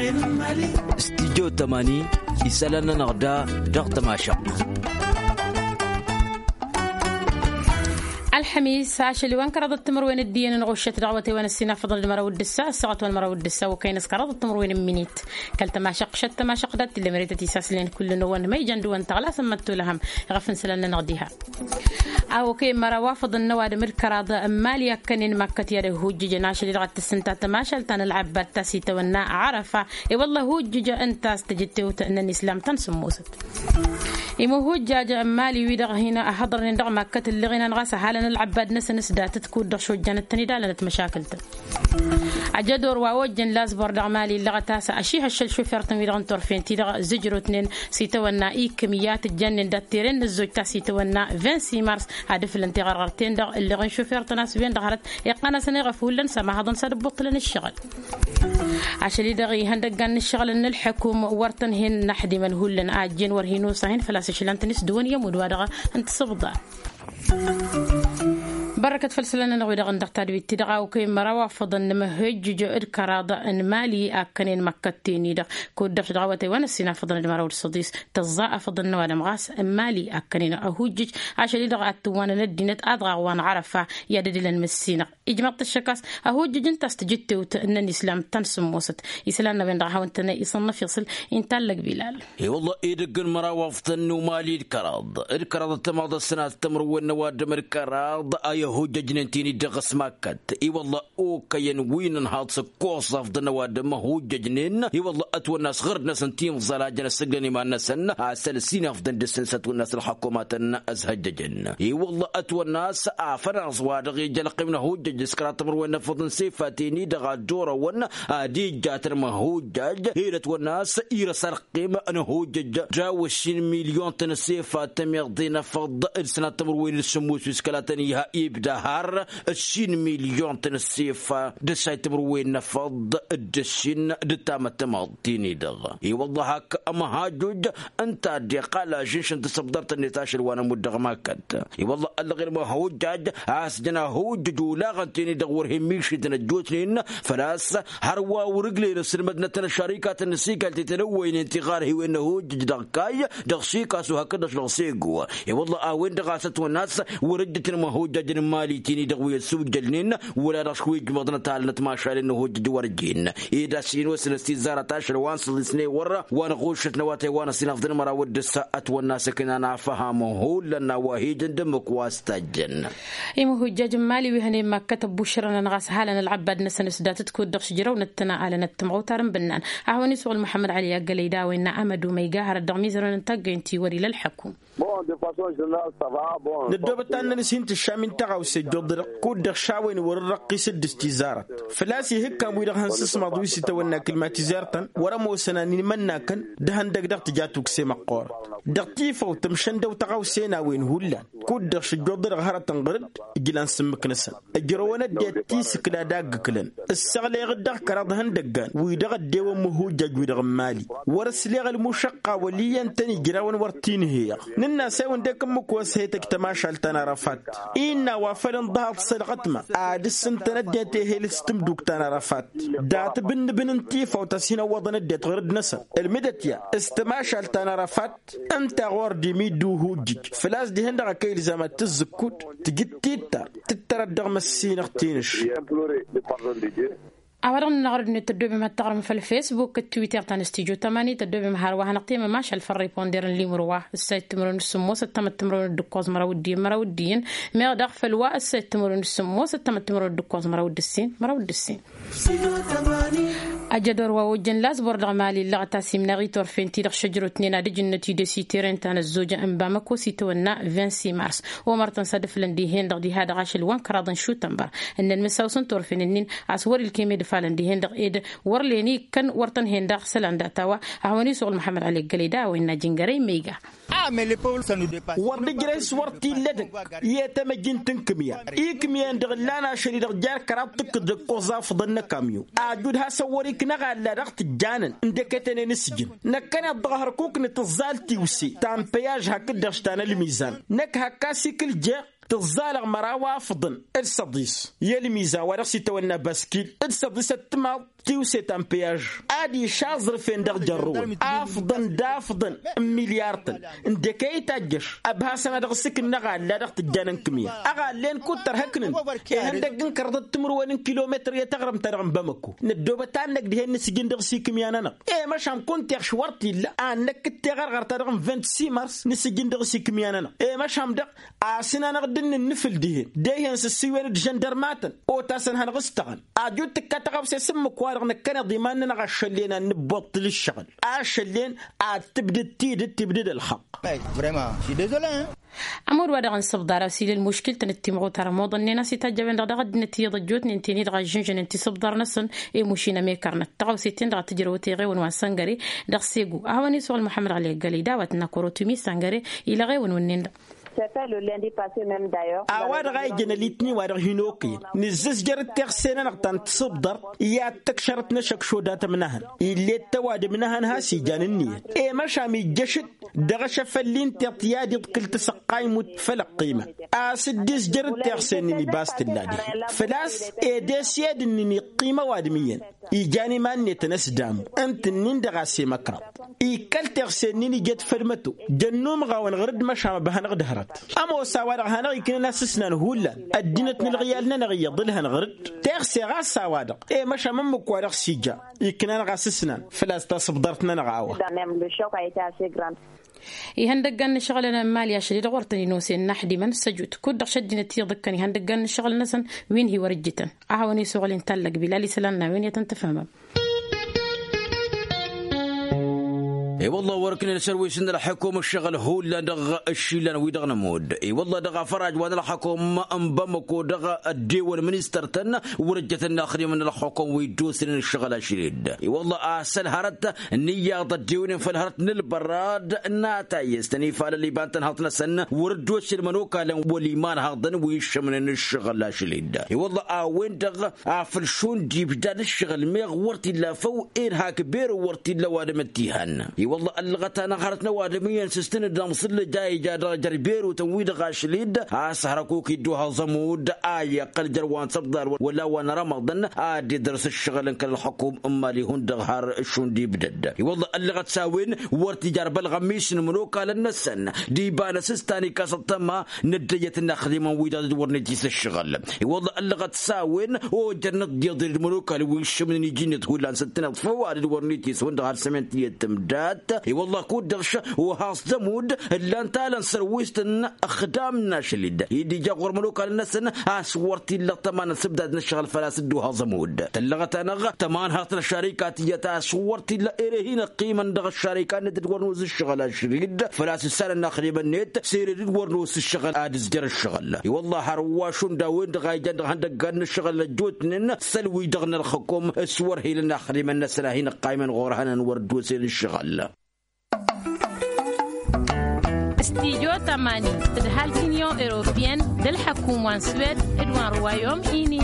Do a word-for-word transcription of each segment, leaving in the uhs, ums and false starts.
Stijjo tămani isălan-nănăɣ da dăɣ-tămašăɣt. Ălxămis ašăl-i-wen kăraḍăt timǝrwen d-iyyăn n-ɣuššăt dăɣ-awătay wa n-ăssinafăḍăn d-măraw d-ǝssa ăssaɣăt wa n-măraw d-ǝssa okăyăn s-kăraḍăt timǝrwen n-imǝnit. Kăl-tămašăɣt šăt tămašăɣt dat-t-illa măretăt isaslăn kullu-năwăn ma ijăn dăɣ-wăn tăɣlasăn măttolăhăm. Iɣăf n-isălan-nănăɣ diha. A okăyăn măraw afăḍăn n-ăwadǝm d-kăraḍ n-imali akkănen makkăt i-ad-ăhhujjǝjăn ašăl-i-dăɣ ad-tǝssǝnta tămašalt ta n-ălɣăbba d-tasitawănna ɣărăfa. I-wălla ăhhujjǝj ǝnta a-s tăjǝttewt n-ănislam ta n-sǝmmosăt. Imǝhhujjaj n-imali-wi-dăɣ hin-ăhhăḍărnen dăɣ-makkăt ǝlleɣ-inan ɣas ăhalăn ălɣăbba d-năsăn s-datăt kud-dăɣ šojjanăt-tăn-dd alănăt măšakǝl-tăn. Ajădor wa ojjăn lazbor dăɣ-imali illăɣăt a-s ašihăššăl šufer-tăn-wi-dăɣ n-turfen-ti-dăɣ zǝjrotnen s-itawănna ikǝm i-ad-tǝjjannen dat-tere n-ăzzoj ta s-itawănna vingt-six mars ad-ǝflăn tiɣărɣăr-ten-dăɣ ǝlleɣ n-šufer-tăn a-s wen-dăɣ hărăt iqqan-asăn iɣăf hullan s-amahăḍăn s-ad-ǝbbuṭṭǝlăn ǝššăɣǝl. Ašăl-i-dăɣ ihăndăggan n-ǝššăɣǝlăn n-ǝlḥǝkum wăr tăn-hin-naḥdimăn hullan a ăjjeen wăr hin-osa hin-făl-a-s ǝšlan-tăn-i s-dăɣ-wăn i-ămudd-wa-dăɣ n-tisǝbḍa. Bărrăkăt făll-isălan-nănăɣ-wi-dăɣ ǝnta d-tadwit-ti-dăɣ a okăyăn măraw afăḍăn n-imǝhhǝjjǝj d-kăraḍ n-imali a ǝkkănen măkkăt-ten-i-dăɣ kud-dăɣ dăɣ-awătay wa n-ăssinafăḍăn d-măraw d-săḍis tăẓẓa afăḍăn n-ăwadǝm ɣas n-imali a ǝkkănen ăhujjǝj. Ašăl-i-dăɣ ad-tǝwwanăn ăddinăt ad-ɣaɣ wa n-ɣărăfa i-ad-ădǝlăn măssinăɣ. Ijmăḍ-t ăššăk a-s ăhujjǝj ǝnta a-s tǝjǝttewt n-ănislam ta n-sǝmmosăt. Isălan-năwen-dăɣ a hawăn-tăn-isănnăf iṣǝl. Inta allăg bilal. I-wălla edăgg n-măraw afḍăn n-umali d-kăraḍ d-kăraḍ ăttămaḍ ăssinat timǝrwen n-ăwadǝm d-kăraḍ a i-ăhujjăjnen tin-i-dăɣ s-makkăt. I-wălla okăyăn wi n-ănhaḍ s-ǝkkoẓ afḍăn n-ăwadǝm ăhujjăjnen i-wălla ătwănna a-s ɣǝrd-năsăn timẓăl a jăn ăssǝglăn iman-năsăn. A-s ălsinafḍăn dăr-săn s-ătwănna a-s ălxăkumatăn ăzhăjjăjăn i-wălla ătwănna a-s afănaẓ wa dăɣ-ija ălqim n-ăhujjăj s-kăraḍ timǝrwen n-afăḍăn s-ifaten-i-dăɣ ad-dd-orăwăn ad-ijjatăn măhujjaj. Ed ătwănna a-s irăs ălqim n-ăhujjăj daw-ăššin milyon-tăn s-efat tămiḍe n-afăḍ d-sănat timǝrwen d-sǝmmos wi s-kăla tăn-iha ibda har ăššin milyon-tăn s-efat d-ăššay timǝrwen n-afăḍ d-ăššin d-tamăttămaḍ. Tin-i-dăɣ i-wălla hak ămăhajoj ǝnta a dd-iqqal ažǝnš n-tasăbḍart-net ašăl wa n-ămudd dăɣ-makkăt. I-wălla ăllăɣen măhujjaj a-s jăn ahujjăj olaɣăn-ten-dd dăɣ-wăr hin-mišităn ăjjootnen făl-a-s hărwa wăr-ǝglen ăssilmădnăt n-ăššărikatăn n-ăsikaltet ănăwwăynen tiɣarhiwen n-ahujjăj dăɣ-kayy dăɣ-sikasu hakd-dăɣ dăɣ-sego. I-wălla a-wen-dăɣ a-s ătwănna a-s wăr-ǝjjǝtăn măhujjaj n-imali-ten-dd dăɣ-wi ăssujjălnen wăla dăɣ-s wi ǝjmăḍnăt alnăt mašalen n-ahujjăj wăr jen ed a-s hin-osăn s-tizzarăt ašăl wa n-săḍisnen wăr wa n-ɣuššăt n-awătay wa n-ăsinafḍăn măraw d-ǝssa. Ătwănna a-s ǝknan afham hullan n-a-wa hi-jăn d-ǝmmǝk wa s-tajjăn. Imhujjaj n-imali wi hănen makkăt ăbbušrănăn ɣas halăn ălɣăbbad-năsăn s-datăt kud-dăɣ s-ǝjrăwnăt-tăn alănăt tǝmɣăwtar n-bǝnnan. A hawăn-isuɣǝl muḥămmăd ăli aggălăy d-a-wa innă amădu ma iga hărăt dăɣ-mizărăn n-taggăyăn ti wăr-ila ălḥăkum. Năddoobăt tannăn s-hin-tǝššam-in tăɣawse ăjjoḍ-dăɣ kud-dăɣ šawăyăn wăr-dd-răqqis dd-s tizarăt făl-a-s ihǝkkan-wi-dăɣ hăn-sǝsmaḍ wi s-itawănna kǝlmatizar-tăn wăr-ămoosăn animănnakăn d-ehăndăg dăɣ-tǝja tukse măqqoorăt. Dăɣ-tifăw tǝmšăndăw tăɣawse n-a-wen hullan kud-dăɣ šǝjjoḍ-dăɣ hărătăn ɣǝr-dd ǝjlan s-ǝmmǝk-năsăn. Ǝjrăwăn ăddinăt ti s-ǝkla d-aggǝklăn ǝsseɣleyăɣ-dd dăɣ-kăraḍ ihăndăggan wi dăɣ-ăddewăn măhujjaj-wi-dăɣ n-imali. Wăr-ăsleɣ ălmušăqqa wăl' iyyăn-tăn ijrawăn wăr t-inhăyăɣ nǝnn'-as a-wen dd-ekǝmmǝk wa s-he-tăj tămašalt ta n-arăfat. Innă a-wa făl ǝnḍăhăḍ s-ălɣătma ad-ǝssǝntăn ăddinăt ehel s-tǝmduk ta n-arăfat. Dat-abǝnnǝbǝn n-tifawt a-s hin-ăwwăḍăn ăddinăt ɣur-dd-năsăn ǝlmǝdăt ya s-tămašalt ta n-arăfat. Ǝnta ɣur-dd imiddu uhujjǝj făl-a-s dihen-dăɣ a kăy-ilzam ad-tǝzzǝkkut tǝjǝd tittar tǝttărăt dăɣ-măssinăɣ tinǝš. A-wa-dăɣ nǝnăɣrăd-net tăddoobem ad-taɣrǝm făll-fesbuk d-twitter ta n-stijo tămani tăddoobem hărwa hanăɣ-temămašal făll-riponder n-limǝrwa ǝssayăt timǝrwen d-sǝmmos ăttămăt timǝrwen d-ǝkkoẓ măraw d-iyyăn măraw d-iyyăn. Meɣ daɣ făll-wa ǝssayăt timǝrwen d-sǝmmos ăttămăt timǝrwen d-ǝkkoẓ măraw d-ǝssin măraw d-ǝssin. Ajădor wa ojjăn lazbor dăɣ-mali ǝllăɣăt a-s imnaɣ i-turfen-ti-dăɣ šăjrotnen ad-ǝjǝnnăt idesiteren ta n-ăzzoj n-bamăko s-itawănna vingt-six mars. Omăr-tăn s-ad-ǝflăn dihen-dăɣ diha-dăɣ ašăl wa n-kăraḍ n-šutănbăr ǝnnăn mǝsawsăn turfen-ǝnnin a-s wăr-ilkem ed ǝfalăn dihen-dăɣ ed wăr len ikkăn wăr tăn-hen-dăɣ isălan data-wa. A hawăn-isuɣǝl muḥămmăd ăli ăggălăy d-a-wa innă jǝngărăy ma iga. Wăr dd-ǝjrăy s-wăr t-illa edăgg i-tamăjjint n-ikǝmya ikǝmya-en-dăɣ ǝllan ašăl-i-dăɣ jer-kăraḍ tǝkkǝḍ d-ǝkkoẓ afǝḍăn n-akamyo. Ajud hasăn-wăr-iknăɣ alla dăɣ-tǝjjanăn ǝndek etănen s-ǝjǝn năkkăneḍ-dăɣ hărkuk n-tǝẓẓalt tiwse ta n-păyaž hakd-dăɣ s-ta n-ălmizan. Năkk hak asikǝl jeɣ Tǝẓẓalăɣ măraw afḍăn d-săḍis i-ălmizan wa dăɣ-s itawănna baskil d-săḍis ăttămaḍ tiwse ta n-peyaj. Ad-išaẓrǝfen dăɣ-jărrǝwăn afḍăn d-afḍăn n-milyartăn. Ǝndek e-itajjăš ăbhasăn ad-dăɣ-s ǝkǝnnăɣ a ǝlla dăɣ-tǝjjan n-kǝmya ăɣallen kud-tărhăknăn ihăndăgg n-kărăḍăt timǝrwen n-kilometăr i-taɣrǝmt-ta-dăɣ n-bamăko. Năddoobăt ad-năgg dihen nǝsǝjǝn dăɣ-s ikǝmya-nănăɣ. I-măšan kunta iɣš wăr t-illa ad-năkk d-teɣărɣărt-ta-dăɣ n-vint simărs nǝsǝjǝn dăɣ-s ikǝmya-nănăɣ. I-măšan dăɣ asǝnanăɣ dd-innǝnnǝfǝl dihen dehen s-ǝssǝywen d-žăndărmatăn otasăn hanăɣ-ǝstăɣăn. Ajut tǝkka tăɣawse s-ǝmmǝk-wa-dăɣ năkkăneḍ iman-nănăɣ ašăllen ad-nǝbbuṭṭǝl ǝššăɣǝl ašăllen ad-tǝbdǝd tidǝt tibdǝd ălxăqq. Ămodd wa dăɣ-n sǝbḍar a-s ila ălmuškǝl-tăn d-timɣutar ămoḍănnen a-s itajjăben-dăɣ daɣ ăddinăt iyyăḍ ăjjootnen ten-i-dăɣ a ǝžžǝnžănen tisǝbḍar-năsăn. I-mušin ămekărnăt tăɣawse-ten-dăɣ a tǝjrăwăt eɣewăn wa n-săngăre dăɣ-segu. A hawăn-iswăɣ ălmuḥămmăd ɣali ăggălăy dawăt n-akărotu mi-săngăre. Ilăɣ ewăn wǝnnen-dăɣ. A-wa-dăɣ a ijăn ălitni-wa-dăɣ hin-okăyăn nǝzzǝzjăr d-teɣse-nănăɣ ta n-tisǝbḍărt i-ad-tăkšărăt n-ašăkšod a tămnahăn. Ill'-e d-tăwadǝm n-ehăn has-ijan ǝnniyăt i-măšam ijjăš-dd dăɣ-ašăfălli n-tiṭṭ i-ad-iḍkǝl tasăqqaymut făll-ăqqima. A-s dd-izjăr d-teɣse-nin ibas tǝlla dihen făl-a-s ed esyed-nin iqqim ăwadǝm iyyăn ijan iman-netăn ăsdamu. Ǝnta-nin-dăɣ a-s emăkraḍ ikkăl teɣse-nin ijăt făll-măto. Jăn numɣawăn ɣur-dd măšan ăbhănăɣ d-hărăt. Ămoos a-wa-dăɣ hanăɣ-iknan asǝsnan hullan ăddinăt n-ǝlɣǝyal-nănăɣ iyyăḍ ǝlhăn ɣur-dd. Teɣse ɣas a-wa-dăɣ i-măšan ǝmmǝk wa dăɣ-s ija iknan ɣas asǝsnan făl-a-s tasǝbḍart-nănăɣ a-wa. Ihăndăggan n-ǝššăɣǝlăn n-imali ašăl-i-dăɣ wăr tăn-inosen n-aḥdimăn s-ăjut kud-dăɣ šăddinăt iyyăḍ ǝkkăn ihăndăggan n-ǝššăɣǝl-năsăn. Wi n-hi-wăr-ǝjjǝtăn a hawăn-isăɣǝl inta ăllăg bilal isălan n-a-wen i-ad-tăn-tǝfhǝmăm. I-wălla wăr-ǝknen s-ărwis n-ălḥukum ǝššăɣǝl hullan dăɣ-ǝššillan-wi-dăɣ nămudd. I-wălla dăɣ-afăraj wa n-ălḥukum n-bamăko dăɣ-ăddewăn ministăr-tăn wăr-ǝjjătăn inaxdimăn n-ălxukum wi dd-osnen ǝššăɣǝl ašăl-dd. I-wălla a-s ălhărăt n-iyyăḍ ăddewnen făll-hărăt n-ǝlbărrad n-atayǝs tăn-ifalăl iba n-tănhăḍt-năsăn wăr dd-osnen imănokalăn wăl' imanhăḍăn wi ǝššămnen ǝššăɣǝl ašăl-dd. I-wălla a-wen-dăɣ afăl šund ibdad ǝššăɣǝl meɣ wăr t-illa făw. Ed hak beru wăr t-illa ăwadǝm ăttihan. I-wălla ăllăɣăt-anăɣ hărăt n-ăwadǝm iyyăn s-s tǝnǝd ămẓǝllăj a ija dăɣ-jer-berutăn-wi-dăɣ ašăl-dd a-s hărăkuk idduhăẓ ămudd a iqqăl jer-wa n-săbḍar wăla wa n-rămăḍăn. Ad-dd-idrăs ǝššăɣǝl n-kăl-ălxukum n-imali hundăɣ har šund ibdăd. I-wălla ăllăɣăt s-a-wen wăr t-ija arbălɣămis n-imănokalăn-năsăn d-iba n-asǝstan ikas ăṭṭăma n-ăddăjăt n-inaxdimăn-wi-dăɣ dd-wăr nǝjjǝs ǝššăɣǝl. I-wălla ăllăɣăt s-a-wen ojărnăt d-iḍǝl d-imănokalăn wi ǝššǝmnen iji-net hullan s-ǝttǝneḍ făw ad-dd-wăr nǝjjǝs hundăɣ har sămen tiyyăt tǝmdat. I-wălla kud-dăɣ š-ohăẓ d-ămudd ǝllan talăn sărwist n-ăxdam n-ašăl-dd i-dd-ija ɣur-imănokalăn-năsăn. A-s wăr t-illa ăṭṭăma n-asǝbdad n-ăššăɣǝl făl-a-s dd-ohăẓ ămudd tăllăɣăt-anăɣ tămanhărt n-ăššarika tiyyăt a-s wăr t-illa ere hin-ăqqimăn dăɣ-ăššarika-net d-wăr nos ǝššăɣǝl ašăl-dd. Făl-a-s ǝssanăn inaxdimăn-net s-ere dd-wăr nos ǝššăɣǝl ad-ǝzjăr ǝššăɣǝl. I-wălla har wa šund a-wen-dăɣ a ijan dăɣ-ihăndăggan n-ǝššăɣǝl ăjjootnen s-ălwǝy dăɣ-nălxăkom s-wăr hilăn inaxdimăn-năsăn a hin-ăqqaymăn ɣur-ehăn ănwăr dd-osen ǝššăɣǝl. Studio tămani tǝdhal tinion europien d-ălḥăkum wa n-swed d-wa n-ruwayom ini.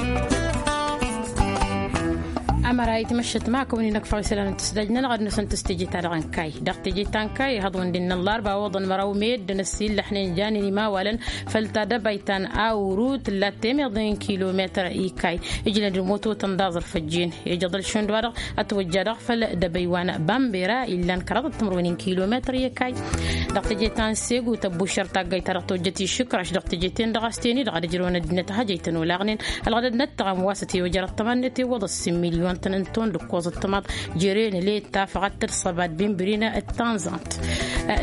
Ămăra itmăššăt ma kăwăn-in-ăkfăɣ isălan n-tǝsdaj-nănăɣ ad-nusăn tǝstǝje-ta-dăɣ n-kay dăɣ-teje ta n-kay ihăḍ wǝndin n-ăllarba oḍăn măraw meddǝn ăssiillăḥnen janen imawalăn. Făll-tadăbayt ta n-awru tǝllat temeḍe n-kilometăr ikay ǝjnăd ămoto tănḍaẓăr făjjen ijăḍăl šund wa-dăɣ ătwăjja dăɣ-făll-dăbăy wa n-bambera illan kăraḍăt timǝrwen n-kilometăr ikay. Dăɣ-teje ta n-segu tăbbušăr taggayt ta dăɣ-tawăjjăt išǝkraš dăɣ-teje-ten-dăɣ a-s ten-i-dăɣ ad-ǝjrăwăn ăddinăt a hajăy-tăn olaɣnen. Ălɣădăd n-ăttăɣăm wa s-ătewăjăr ăṭṭăma-net iwwăḍ ăssin milyon-tăn n-ton d-ǝkkoẓ ăṭṭămaḍ. Jere n-ăle d-tafăɣăt d-săbad binbrin d-tanẓamt.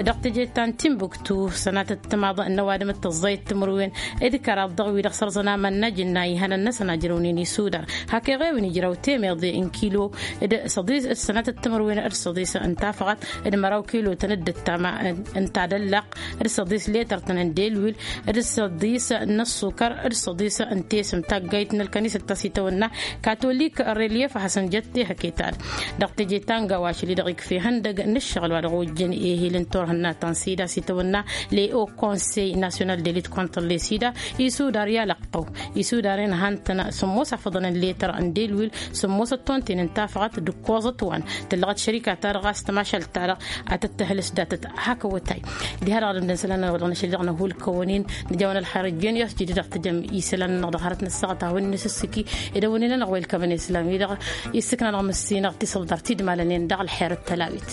Dăɣ-teje ta n-timbuktu sănatăt timaḍ n-ăwadǝm d-tăẓẓayăt timǝrwen d-kăraḍ dăɣ-wi-dăɣ sărẓăn amănnaj ǝnna ihănăn-năsăn a ǝjrăwnen isudar. Hak eɣewăn ijrăw temeḍe n-kilo d-săḍis d-sănatăt timǝrwen d-săḍis n-tafăɣăt d-măraw kilo-tăn d-ǝttama n-tadăllaq d-săḍis letăr-tăn n-delwil d-săḍis n-ăṣṣukăr d-săḍis n-tesǝm taggayt n-ălkănisăt ta s-itawănna katolik. Reliyef a hasăn-jăt tehăke-ta-dăɣ dăɣ-teje ta n-gawa ašăl-i-dăɣ ikf' ihăndăg n-ǝššăɣǝl wa dăɣ-ojjăn ehil n-tawănna. Turhǝnna ta n-sida s-itawănna le o konsey nasyonal de lit kontr le sida isudar i-alăqqăw isudar-en han-tăn sǝmmos afăḍăn n-letăr n-delwil sǝmmos ăttonten n-tafăɣăt d-ǝkkoẓăt wa n-tǝllăɣăt šărika-ta-dăɣ a-s tămašalt-ta-dăɣ a tăt-tăhlǝs datăt hak awătay. Diha-dăɣ dăɣ-dămdăn isălan-nănăɣ wa dăɣ-năšăl dăɣ-năhulkăwăn-in nǝja wa n-ălxer ǝjjen i-a-s jidǝd dăɣ-tǝjăm isălan-nănăɣ dăɣ-hărăt n-ăssaɣăt a hawăn-nǝsǝssǝki. Ed a-wen-in-anăɣ wa ilkămăn isălan-wi-dăɣ issǝkna dăɣ-măssinăɣ tisǝḍdăr tidmalăn-en dăɣ-ălxer d-tălawit.